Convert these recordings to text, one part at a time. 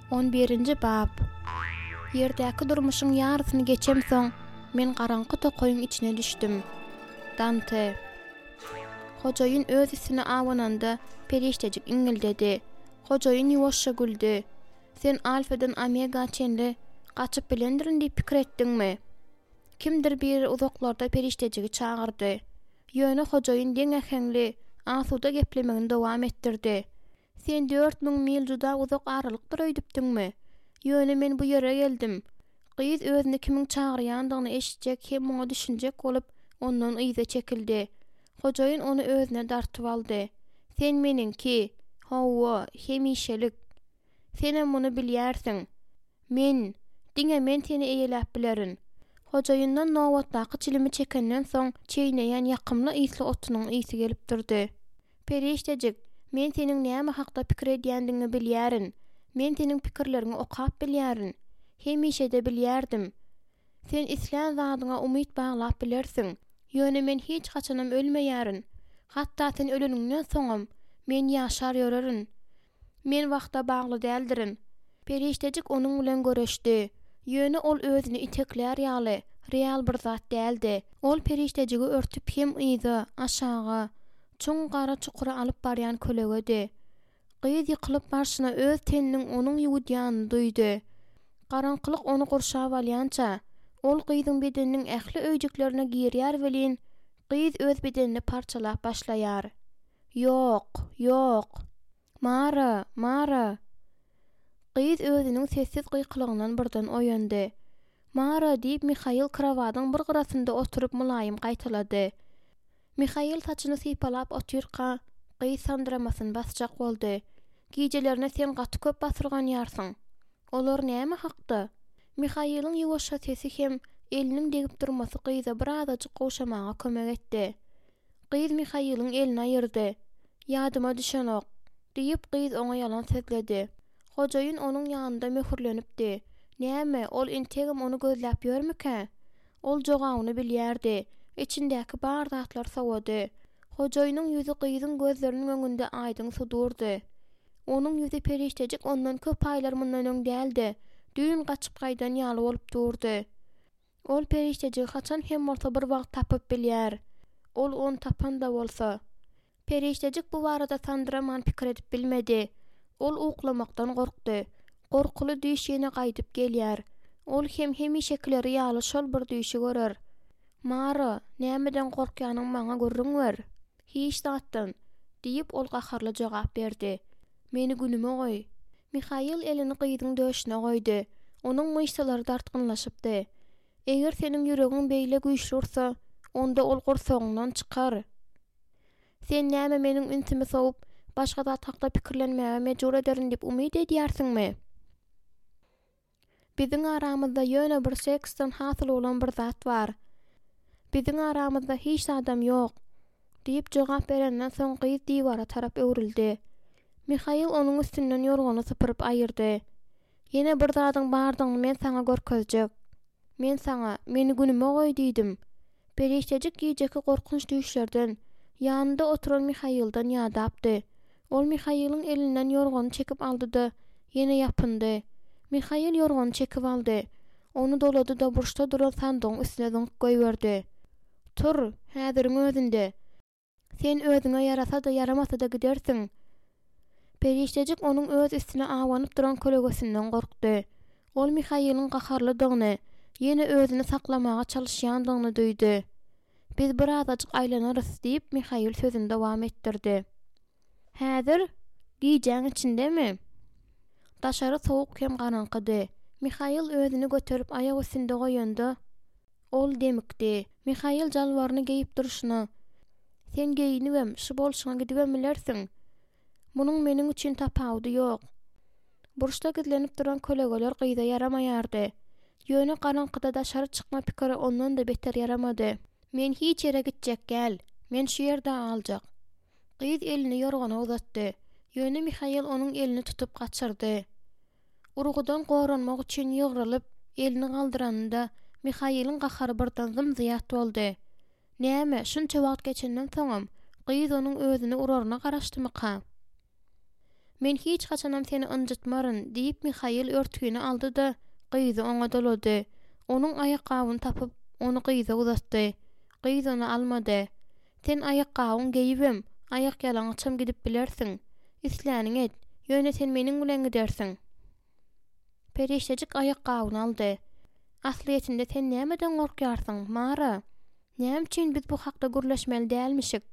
On birinji bap. Ýerdäki durmuşyň ýarysyny geçemsoň, men garaňky tokaýyň içine düşdüm. Dante. Hojaýyn öz üstüne abananda, perişdejik iňňildedi. Hojaýyn ýuwaşja güldi. Sen Alfadan Omega çenli gaçyp bilendirin diýip pikir etdiňmi? Kimdir biri uzaklarda perişdejigi çagyrdy. Ýöne hojaýyn deň äheňli, asuda geplemegini dowam etdirdi. Sen 4000 mil juda uzak aralykdyr öýdüpdiňmi? Ýöne men bu ýere geldim. Gyz özüni kimiň çagyrýandygyny eşitjek hem muňa düşünjek bolup, ondan yza çekildi. Hojaýyn ony özüne dartyp aldy. Sen meniňki. Hawa, hemişelik. Senem muny bilýärsiň. Men, diňe men seni eýeläp bilerin. Hojaýyndan nobatdaky çilimi çekenden soň, çeýneýän ýakymly ysly otunyň ysy gelip durdy. Perişdejik, men seniň näme hakda pikir edýändigiňi bilýärin. Men seniň pikirleriňi okap bilýärin. Hemişe-de bilýärdim. Sen islän zadyňa umyt baglap bilersiň. Ýöne men hiç haçanam ölmeýärin. Hatda sen öleniňden soňam, men ýaşar ýörerin. Men wagta bagly däldirin. Perişdejik onuň bilen göreşdi. Ýöne ol özüni iteklär ýaly, real bir zat däldi. Ol perişdejigi örtüp hem yza, aşaga, çuň gara çukura alyp barýan kölegedi. Gyz ýykylyp barşyna öz teniniň onuň ýuwudýanyny duýdy. Garaňkylyk ony gurşap alýança, ol gyzyň bedeniniň ähli öýjüklerine girýär welin, gyz öz bedenini parçalap başlaýar. Ýok, ýok! Mara, Mara! Gyz özüniň sessiz gykylygyndan birden oýandy. Mara, diýip, Mihail krowadyň bir gyrasynda oturyp mylaýym gaýtalady. Mihail saçyny sypalap otyrka, gyz sandyramasyny basjak boldy. Gijelerine sen gaty köp basyrganýarsyň. Olar näme hakda? Mihailiň ýuwaşja sesi hem eliniň degip durmasy gyza birazajyk gowşamaga kömek etdi. Gyz Mihailiň elini aýyrdy. Ýadyma düşenok, diýip, gyz oňa ýalan sözledi. Hojaýyn onuň ýanynda möhürlenipdi. Näme, ol entegem ony gözläp ýörmükä? Ol jogabyny bilýärdi. Içindäki bar zatlar sowady. Hojaýynyň ýüzi gyzyň gözleriniň öňünde aýdyň sudurdy. Onuň ýüzi perişdejik ondan köp aýlar mundan öň däl-de, düýn gaçyp gaýdan ýaly bolup durdy. Ol perişdejigi haçan hem bolsa bir wagt tapyp bilýär. Ol ony tapan-da bolsa. Perişdejik bu barada sandyraman pikir edip bilmedi. Ol uklamakdan gorkdy. Gorkuly düýş ýene gaýdyp gelýär. Ol hem hemişekileri ýaly şol bir düýşi görer. Mara, nämeden gorkýanyňy maňa gürrüň ber. Hiç zatdan, diýip, ol gaharly jogap berdi. Meni günüme goý. Mihail elini gyzyň döşüne goýdy. Onuň myşsalary dartgynlaşypdy. Eger seniň ýüregiň beýle güýçli ursa, onda ol gursagyňdan çykar. Sen näme meniň ünsümi sowup, başga zat hakda pikirlenmäge mejbur ederin diýip umyt edýärsiňmi? Biziň aramyzda ýöne bir seksden hasyl bolan bir zat bar. Biziň aramyzda hiç zadam ýok, diýip jogap berenden soň gyz diwara tarap öwrüldi. Mihail onuň üstünden ýorgany sypyryp aýyrdy. Ýene bir zadyň bardygyny men saňa görkezjek. Men saňa, meni günüme goý diýdim. Perişdejik gijeki gorkunç düýşlerden, ýanynda oturan Mihailden ýadapdy. Ol Mihailiň elinden ýorgany çekip aldy-da, ýene ýapyndy. Mihail ýorgany çekip aldy. Ony dolady-da burçda duran sandygyň üstüne zyňyp goýberdi. Tur, häziriň özünde! Sen özüňe ýarasa-da, ýaramasa-da gidersiň. Perişdejik onuň öz üstüne abanyp duran kölegesinden gorkdy. Ol Mihailiň gaharlydygyny, ýene özüni saklamaga çalyşýandygyny duýdy. Biz birazajyk aýlanarys, diýip, Mihail sözüni dowam etdirdi. Häzir? Gijäň içindemi? Daşary sowuk hem garaňkydy. Mihail özüni göterip aýak üstünde goýanda, Ol demikdi. Mihail jalbaryny geýip durşuna, Sen geýnibem, şu bolşuňa gidibem bilersiň. Munuň meniň üçin tapawudy ýok. Burçda gizlenip duran kölegeler gyza ýaramaýardy. Ýöne garaňkyda daşary çykma pikiri ondan-da beter ýaramady. Men hiç ýere gitjek däl. Men şu ýerde galjak. Gyz elini ýorgana uzatdy. Ýöne Mihail onuň elini tutup gaçyrdy. Urgudan goranmak üçin ýygrylyp, elini galdyranynda, Mihailiň gahary birden zym-zyýat boldy. Näme, şunça wagt geçenden soňam, gyz onuň özüni uraryna garaşdymyka? Men hiç haçanam seni ynjytmaryn, diýip, Mihail örtgini aldy-da, gyzy oňa dolady. Onuň aýakgabyny tapyp, ony gyza uzatdy. Gyz ony almady. Sen aýakgabyň geýibem, aýakýalaňaçam gidip bilersiň. Isläniňi et, ýöne sen meniň bilen gidersiň. Perişdejik aýakgabyny aldy. Aslyýetinde sen nämeden gorkýarsyň, Mara? Näme üçin biz bu hakda gürleşmeli dälmişik?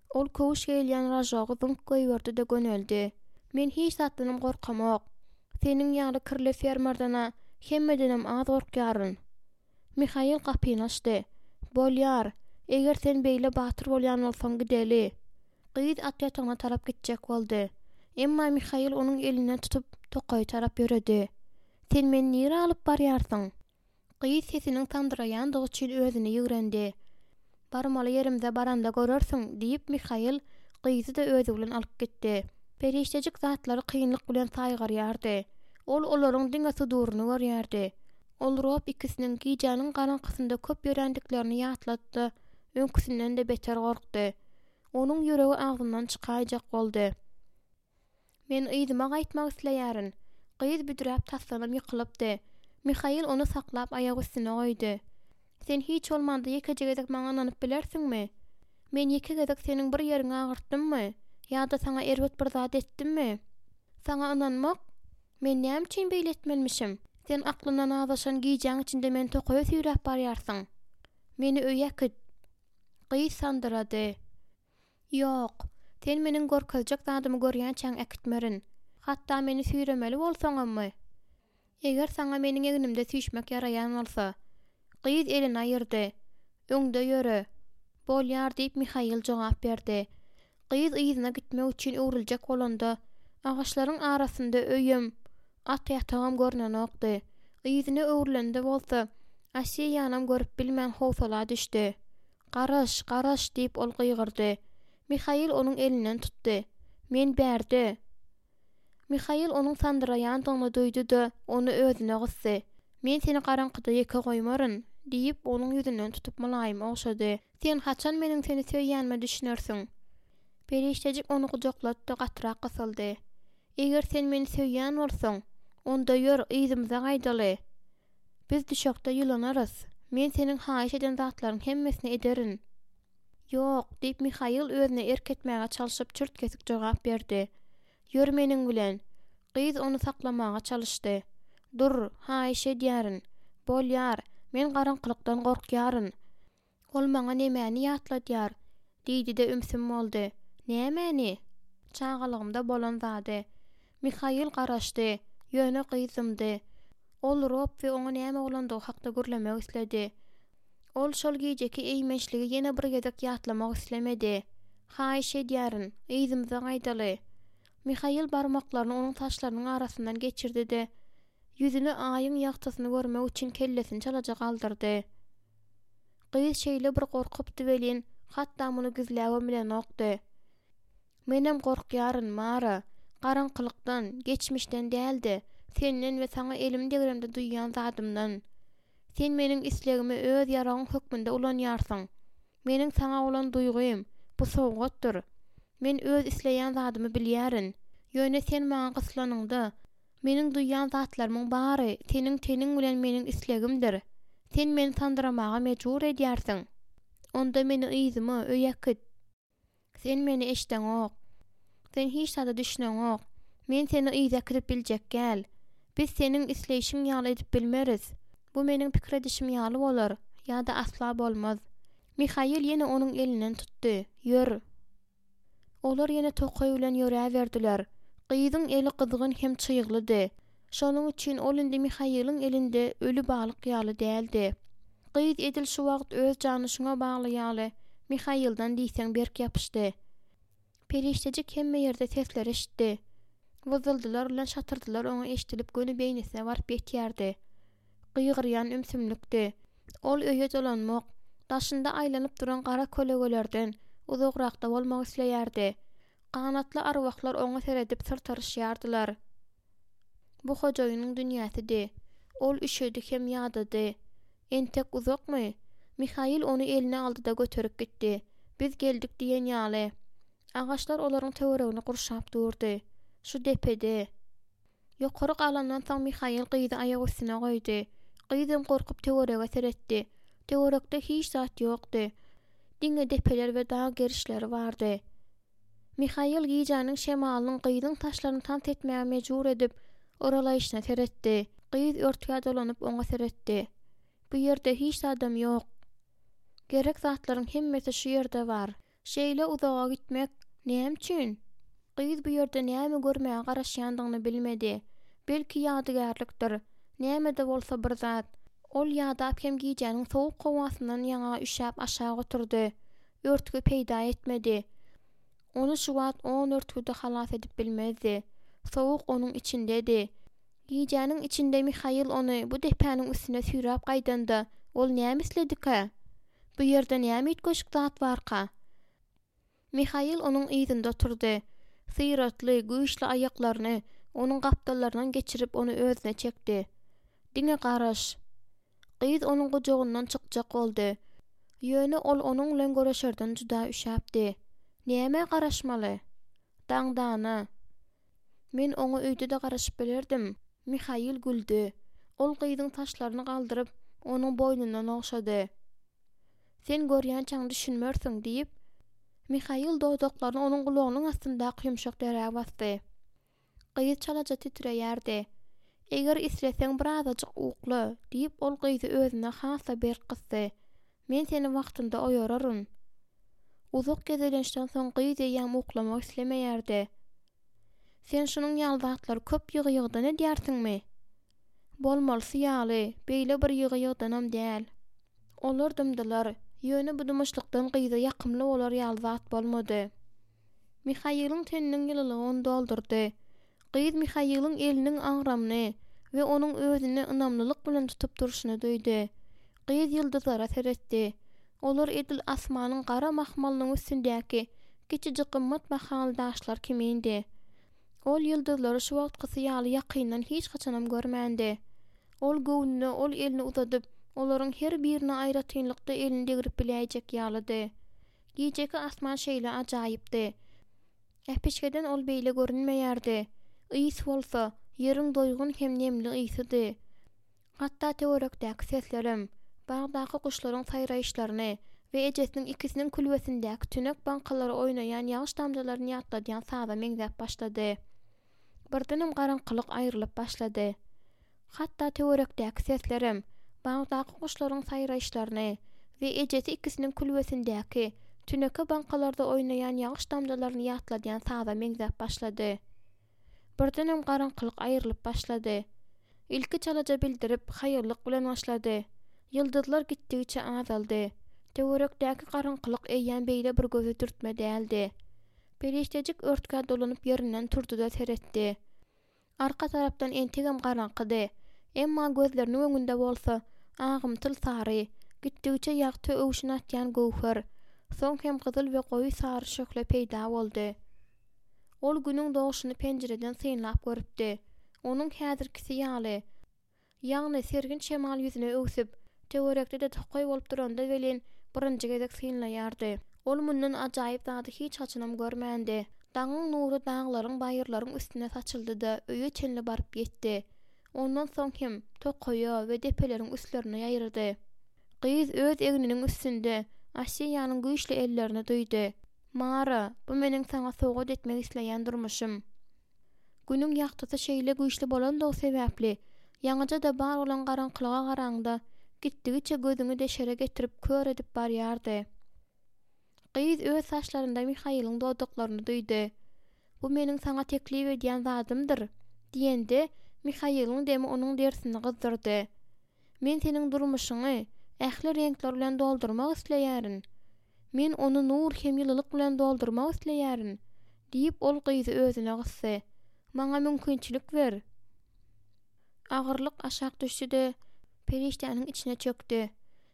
Ol köwüş geýilýän ražogy zyňk goýberdi-de göneldi. Men hiç zatdanam gorkamok. Seniň ýaly kirli fermerden-ä hemmedenem az gorkýaryn. Mihail gapyny açdy. Bolýar, eger sen beýle batyr bolýan bolsaň gideli. Gyz at ýatagyna tarap gitjek boldy. Emma Mihail onuň elinden tutup, tokaýa tarap ýöredi. Sen meni nirä alyp barýarsyň? Gyz sesiniň sandyraýandygy üçin özüni ýigrendi. Barmaly ýerimize baranda görersiň, diýip, Mihail gyzy-da özi bilen alyp gitdi. Perişdejik zatlary kynlyk bilen saýgarýardy. Ol olaryň diňe suduryny görýärdi. Ol Rob ikisiniň gijäniň garaňkysynda köp ýörändiklerini ýatlady-da, öňküsinden-de beter gorkdy. Onuň ýüregi agzyndan çykaýjak boldy. Men yzyma gaýtmak isleýärin. Gyz büdräp tasdanam ýykylypdy. Mihail ony saklap aýak üstüne goýdy. Sen hiç bolmanda ýekeje gezek maňa ynanyp bilersiňmi? Men ýeke gezek seniň bir ýeriňi agyrtdymmy? Ýa-da saňa erbet bir zat etdimmi? Saňa ynanmak? Men näme üçin beýle etmelimişim? Sen aklyndan azaşan gijäň içinde meni tokaýa süýräp barýarsyň. Meni öýe äkit. Gyz sandyrady. Ýok. Sen meniň görkezjek zadymy görýänçäň äkitmerin. Hatda meni süýremeli bolsaňammy? Eger saňa meniň egnimde süýşmek ýaraýan bolsa. Gyz elini aýyrdy. Öňde ýöre. Bolýar, diýip, Mihail jogap berdi. Gyz yzyna gitmek üçin öwrüljek bolanda, agaçlaryň arasynda öýem, at ýatagam görnenokdy. Yzyna öwrülende bolsa, Asiýanam görüp bilmän howsala düşdi. Garaş, garaş! diýip, ol gygyrdy. Mihail onuň elinden tutdy. Men bärde! Mihail onuň sandyraýandygyny duýdy-da, ony özüne gysdy. Men seni garaňkyda ýeke goýmaryn, diýip, onuň ýüzünden tutup mylaýym ogşady. Sen haçan meniň seni söýýänime düşünersiň? Perişdejik ony gujaklady-da, gatyrak gysyldy. Eger sen meni söýýän bolsaň, onda ýör, yzymyza gaýdaly. Biz düşekde ýylanarys. Men seniň haýyş eden zatlaryň hemmesini ederin. Ýok, diýip, Mihail özüne erk etmäge çalşyp, çürt-kesik jogap berdi. Ýör meniň bilen. Gyz ony saklamaga çalyşdy. Dur, haýyş edýärin. Bolýar, men garaňkylykdan gorkýaryn. Ol maňa nemäni ýatladýar? diýdi-de ümsüm boldy. Nämäni? Çagalygymda bolan zady. Mihail garaşdy, ýöne gyz dymdy. Ol Rob we oňa näme bolandygy hakda gürlemek isledi. Ol şol gijeki eýmençligi ýene bir gezek ýatlamak islemedi. Haýyş edýärin, yzymyza gaýdaly. Mihail barmaklaryny onuň saçlarynyň arasyndan geçirdi-de, ýüzüne aýyň ýagtysyny görmek üçin kellesini çalaja galdyrdy. Gyz şeýle bir gorkupdy welin, hatda muny gizläbem bilenokdy. Menem gorkýaryn, Mara. Garaňkylykdan, geçmişden däl-de, senden we saňa elim degremde duýýan zadymdan. Sen meniň islegimi öz ýaragyň hökmünde ulanýarsyň. Meniň saňa bolan duýgym, bu sowgatdyr. Men öz isleýän zadymy bilýärin. Ýöne sen maňa gyslanyňda, meniň duýýan zatlarymyň bary seniň teniň bilen meniň islegimdir. Sen meni sandyramaga mejbur edýärsiň. Onda meni yzyma, öýe äkit. Sen meni eşdeňok. Sen hiç zada düşüneňok. Men seni yza äkidip biljek däl. Biz seniň isleýşiň ýaly edip bilmeris. Bu meniň pikir edişim ýaly bolar, ýa-da asla bolmaz. Mihail ýene onuň elinden tutdy. Ýör. Olar ýene tokaý bilen ýöräberdiler. Gyzyň eli gyzgyn hem çyglydy. Şonuň üçin ol indi Mihailiň elinde öli balyk ýaly däldi. Gyz edil şu wagt öz jany şuňa bagly ýaly, Mihailden diýseň berk ýapyşdy. Perişdejik hemme ýerde sesleri eşitdi. Wyzzyldylar bilen şatyrdylar oňa eşidilip göni beýnisine baryp ýetýärdi. Gygyrýan ümsümlikdi. Ol öýe dolanmak, daşynda aýlanyp duran gara kölegelerden uzagrakda bolmak isleýärdi. Ganatly arwahlar oňa seredip syrtaryşýardylar. Bu hojaýynyň dünýäsidi. Ol üşedi hem ýadady. Entek uzakmy? Mihail ony eline aldy-da göterip gitdi. Biz geldik diýen ýaly. Agaçlar olaryň töweregini gurşap durdy. Şu depede. Ýokary galandan soň Mihail gyzy aýak üstüne goýdy. Gyzam gorkup töwerege seretdi. Töwerekde hiç zat ýokdy. Diňe depeler we dag gerişleri bardy. Mihail gijäniň şemalynyň gyzyň saçlaryny tans etmäge mejbur edip, yralaýşyna seretdi. Gyz örtgä dolanyp oňa seretdi. Bu ýerde hiç zadam ýok. Gerek zatlaryň hemmesi şu ýerde bar. Şeýle uzaga gitmek näme üçin? Gyz bu ýerde näme görmäge garaşýandygyny bilmedi. Belki ýadygärlikdir. Näme-de bolsa bir zat. Ol ýadap hem gijäniň sowuk howasyndan ýaňa üşäp aşak oturdy. Örtgi peýda etmedi. Ony şu wagt on örtgi-de halas edip bilmezdi. Sowuk onuň içindedi. Gijäniň içinde Mihail ony bu depäniň üstüne süýräp gaýdanda, ol näme isledikä? Bu ýerde näme üýtgeşik zat barka? Mihail onuň yzynda oturdy. Syratly, güýçli aýaklaryny onuň gapdallaryndan geçirip ony özüne çekdi. Diňe garaş. Gyz onuň gujagyndan çykjak boldy. Ýöne ol onuň bilen göreşerden juda üşäpdi. Nämä garaşmaly? Daňdana. Men oňa öýde-de garaşyp bilerdim. Mihail güldi. Ol gyzyň saçlaryny galdyryp, onuň boýnundan ogşady. Sen görýänçäň düşünmersiň, diýip, Mihail dodaklaryny onuň gulagynyň astyndaky ýumşak derä basdy. Gyz çalaja titreýärdi. Eger isleseň birazajyk ukla, diýip, ol gyzy özüne has-da berk gysdy. Men seni wagtynda oýararyn. Uzak gezelençden soň gyz eýýäm uklamak islemeýärdi. Sen şunuň ýaly zatlary köp ýygy-ýygydan edýärsiňmi? Bolmalysy ýaly, beýle bir ýygy-ýygydanam däl. Olar dymdylar, ýöne bu dymyşlykdan gyza ýakymly bolar ýaly zat bolmady. Mihailiň teniniň ýylylygy ony doldurdy. Gyz Mihailiň eliniň agramyny we onuň özüni ynamlylyk bilen tutup durşuny duýdy. Gyz ýyldyzlara seretdi. Olar edil asmanyň gara mahmalynyň üstündäki kiçijik gymmat bahaly daşlar kimindi. Ol ýyldyzlary şu wagtkysy ýaly ýakyndan hiç haçanam görmändi. Ol göwnüne ol elini uzadyp, olaryň her birine aýratynlykda elini degrip biläýjek ýalydy. Gijeki asman şeýle ajaýypdy. Äpişgeden ol beýle görünmeýärdi. Ys bolsa, ýeriň doýgun hem nemli ysydy. Hatda töwerekdäki seslerem, bagdaky guşlaryň saýraýyşlaryny we ejesiniň ikisiniň külbesindäki tünek baňkalary oýnaýan ýagyş damjalaryny ýatladýan saza meňzäp başlady. Birdenem garaňkylyk aýrylyp başlady. Hatda töwerekdäki seslerem, bagdaky guşlaryň saýraýyşlaryny we ejesi ikisiniň külbesindäki tüneke baňkalarda oýnaýan ýagyş damjalaryny ýatladýan saza meňzäp başlady. Birdenem garaňkylyk aýrylyp başlady. Ilki çalaja bildirip, haýallyk bilen başlady. Ýyldyzlar gitdigiçe azaldy. Töwerekdäki garaňkylyk eýýäm beýle bir göze dürtme däldi. Perişdejik örtgä dolanyp ýerinden turdy-da seretdi. Arka tarapdan entegem garaňkydy. Emma gözleriniň öňünde bolsa, agymtyl sary, gitdigiçe ýagty öwşün atýan göwher, soň hem gyzyl we goýy sary şöhle peýda boldy. Ol Günüň dogşuny penjireden synlap görüpdi. Onuň häzirkisi ýaly, ýagny sergin şemal ýüzüne öwsüp, töwerekde-de tokaý bolup duranda welin, birinji gezek synlaýardy. Ol mundan ajaýyp zady hiç haçanam görmändi. Daňyň nury daglaryň, baýyrlaryň üstüne saçyldy-da, öýe çenli baryp ýetdi. Ondan soň hem tokaýa we depeleriň üstlerine ýaýrady. Gyz öz egniniň üstünde Asiýanyň güýçli ellerini duýdy. Mara, bu meniň saňa sowgat etmek isleýän durmuşym. Günüň ýagtysy şeýle güýçli bolandygy sebäpli, ýaňyja-da bar bolan garaňkylyga garaňda, gitdigiçe gözüňi deşere getirip kör edip barýardy. Gyz öz saçlarynda Mihailiň dodaklaryny duýdy. Bu meniň saňa teklip edýän zadymdyr, diýende, Mihailiň demi onuň derisini gyzdyrdy. Men seniň durmuşyňy ähli reňkler bilen doldurmak isleýärin. Men ony nur hem ýylylyk bilen doldurmak isleýärin, diýip, ol gyzy özüne gysdy. Maňa mümkinçilik ber. Agyrlyk aşak düşdi-de, perişdäniň içine çökdi.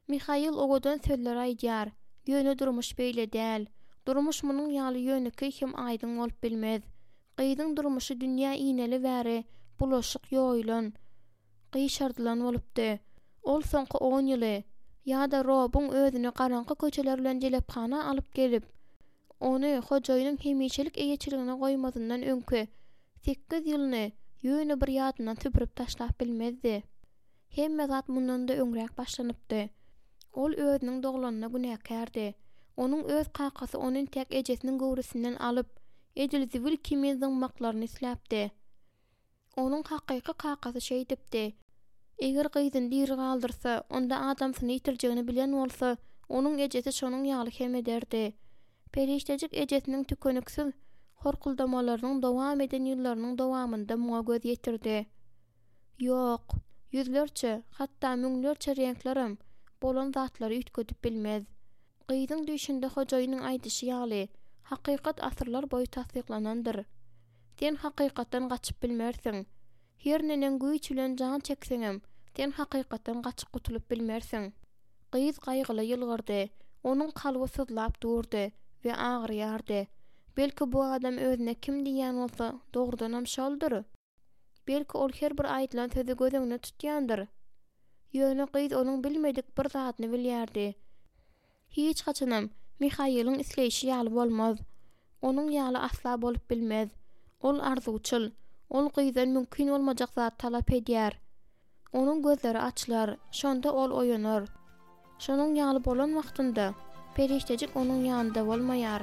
Mihail owadan sözler aýdýar, ýöne durmuş beýle däl. Durmuş munuň ýaly ýönekeý hem aýdyň bolup bilmez. Gyzyň durmuşy dünýä ineli bäri bulaşyk ýoýulan, gyşardylan bolupdy. Ol soňky on ýyly, ýa-da Robuň özüni garaňky köçeler bilen jelephana alyp gelip, ony hojaýynyň hemişelik eýeçiligine goýmazyndan öňki. Sekiz ýylyny ýöne bir ýadyndan süpürip taşlap bilmezdi. Hemme zat mundan-da öňräk başlanypdy. Ol özüniň doglanyna günäkärdi. Onuň öz kakasy ony entäk ejesiniň göwresinden alyp, edil zibil kimin zyňmaklaryny isläpdi. Onuň hakyky kakasy şeýdipdi. Eger gyzyny diri galdyrsa, onda adamsyny ýitirjegini bilen bolsa, onuň ejesi şonuň ýaly hem ederdi. Perişdejik ejesiniň tükeniksiz horkuldamalarynyň dowam eden ýyllarynyň dowamynda muňa göz ýetirdi. Ýok, ýüzlerçe, hatda müňlerçe reňklerem bolan zatlary üýtgedip bilmez. Gyzyň düýşünde hojaýynyň aýdyşy ýaly, hakykat asyrlar boýy tassyklanandyr. Sen hakykatdan gaçyp bilmersiň. Her neneň güýç bilen jan çekseňem, sen hakykatdan gaçyp gutulyp bilmersiň. Gyz gaýgyly ýylgyrdy. Onuň kalby syzlap durdy we agyrýardy. Belki bu adam özüne kim diýýän bolsa, dogrudanam şoldur? Belki ol her bir aýdylan sözi göz öňünde tutýandyr? Ýöne gyz onuň bilmedik bir zadyny bilýärdi. Hiç haçanam Mihailiň isleýşi ýaly bolmaz. Onuň ýaly asla bolup bilmez. Ol arzuwçyl. Ol gyzdan mümkin bolmajak zat talap edýär. Onuň gözleri açylar, şonda ol oýanar. Şonuň ýaly bolan wagtynda, perişdejik onuň ýanynda bolmaýar.